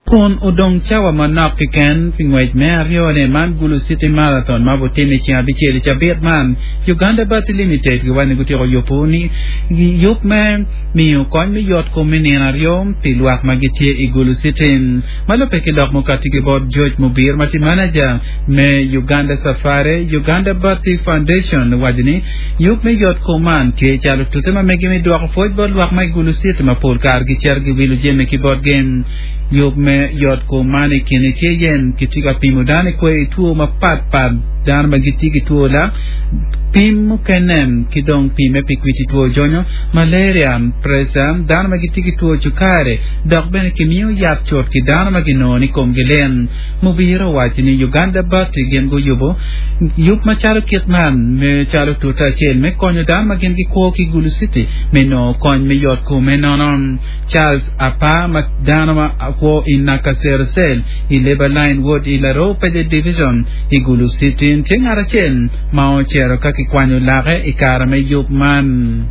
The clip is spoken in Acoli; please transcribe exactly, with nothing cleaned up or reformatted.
Kun odong cawa manok keken pi ngwec me aryone man Gulu City Marathon ma butime i ceng abicel i cabit man Uganda Bathi Limited giwaco ni gutyeko yubo ni yub me miyo kony me yot kom me nino aryo pi lwak ma gitye i Gulu City ma lubbe ki lok mukati ki bot George Mubir ma tye manager me Uganda Safari Uganda Bathi Foundation owaco ni yub me yot kom man tye calo tute ma megi me dwoko pwoc bot lwak ma i Gulu City ma pol kare gicito giwilo jami ki botgi yub me yot kom man i kine tye yen kitye ka pimo dano i kwe two mapatpat dano ma gitye ki two lak pim mukene ki dong pime pi kwiti two jonyo malaria pressure dano ma gitye ki two cukari dok bene kimiyo yat cut ki dano ma ginongo ni komgi lit Mubiro owaco ni Uganda Bathi gin guyubo yub macalo kit man me calo tute acel me konyo dano ma gin gikwo ki Gulu City me nongo kony me yot kom me nono Charles Apa ma dano ma kwo i Nakasero Cell i Labour Line Ward i Laropeje Division i Gulu City tye ngat acel ma ocito ka kikwanyo lake i kare me yub man.